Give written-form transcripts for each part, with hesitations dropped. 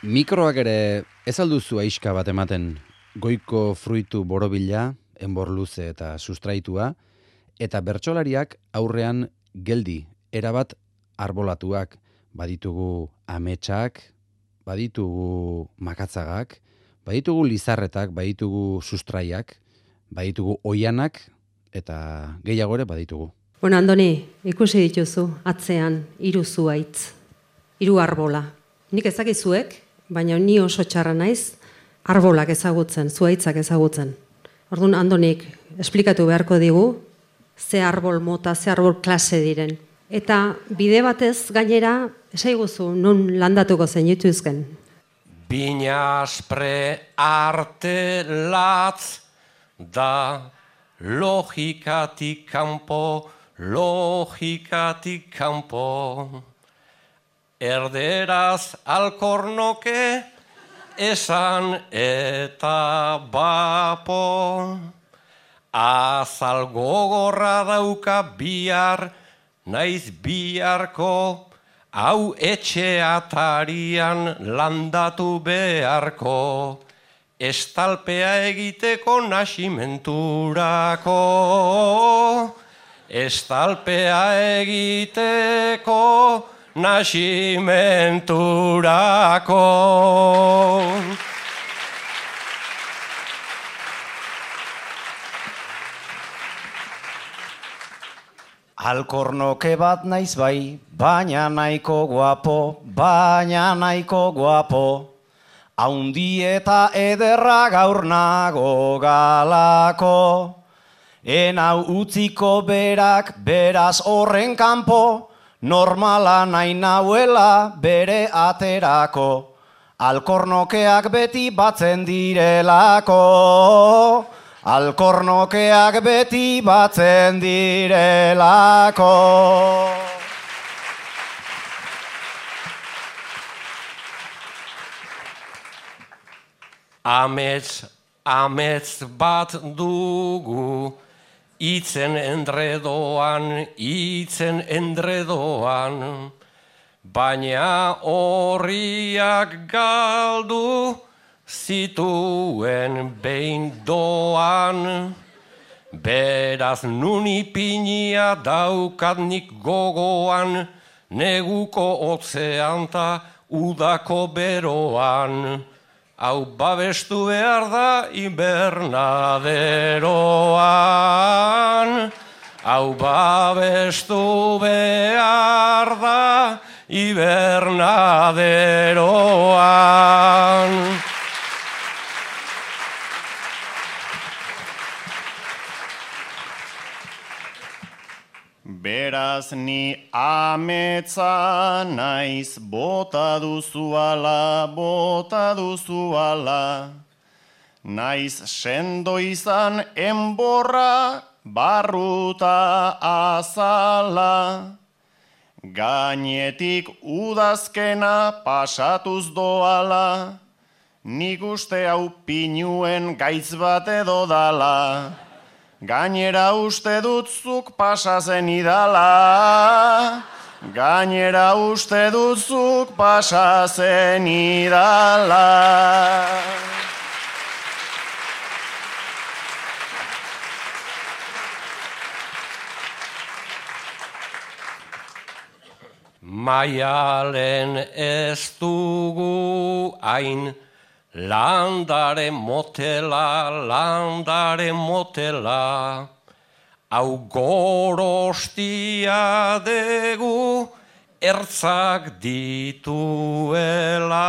Mikroak ere ez alduzu aixka bat ematen goiko fruitu borobila, enbor luze eta sustraitua, eta bertsolariak aurrean geldi, erabat arbolatuak, baditugu ametsak, baditugu makatzagak, baditugu lizarretak, baditugu sustraiak, baditugu oianak, eta gehiago ere baditugu. Bueno, Andoni, ikusi dituzu, atzean, 3 zuhaitz, 3 arbola. Nik ezakizuek, baina ni oso txarra naiz, arbolak ezagutzen, zuhaitzak ezagutzen. Orduan, Andonik, esplikatu beharko digu, ze arbol mota, ze arbol klase diren. Eta bide batez gainera, esaiguzu, non landatuko zen jutuzken. Bina aspre arte latz da logikatik kanpo, erderaz alkornoke esan eta bapo. Azal gogorra dauka bihar, naiz biharko, hau etxe atarian landatu beharko. Estalpea egiteko nasimenturako. Estalpea egiteko nasimenturako. Alkornoke bat naiz bai, baina nahiko guapo, haundi eta ederra gaur nago galako. Enau utziko berak, beraz horren kanpo, normala nahi nauela bere aterako. Alkornokeak beti batzen direlako. Alkornokeak beti batzen direlako. Amets bat dugu, itzen endredoan, baina horriak galdu zituen behin doan. Beraz nun ipinia daukat nik gogoan, neguko hotzean ta udako beroan. Hau babestu behar da hibernaderoan. Hau babestu behar da hibernaderoan. Beraz ni ametsa naiz, bota duzuala. Naiz sendo izan enborra, barruta azala. Gainetik udazkena pasatuz doala, nik uste hau pinuen gaitz bat edo dala. Gainera uste dut zuk pasazen idala. Gainera uste dut zuk pasazen idala. Maialen ez dugu hain, landare motela, hau gorostia degu ertzak dituela.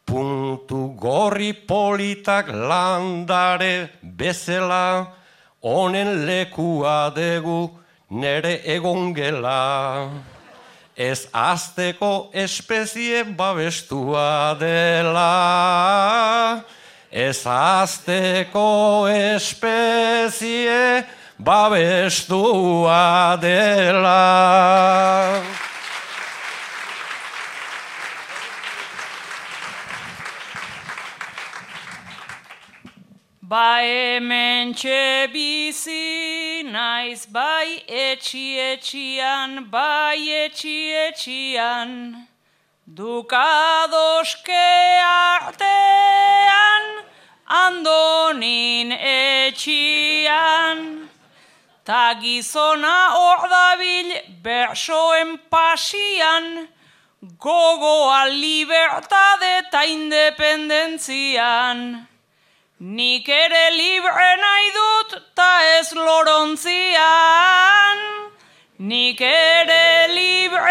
Puntu gorri politak landare bezala, honen lekua degu nere egongela. Ez azteko espezie babestua dela. Ez azteko espezie babestua dela. Ba hementxe bizi naiz, bai etxi-etxian, Dukadoske artean, Andonin etxian, ta gizona hor dabil bersoen pasian, gogoa libertade eta independentzian. Nik ere libre nahi dut ta ez lorontzian. Nik ere libre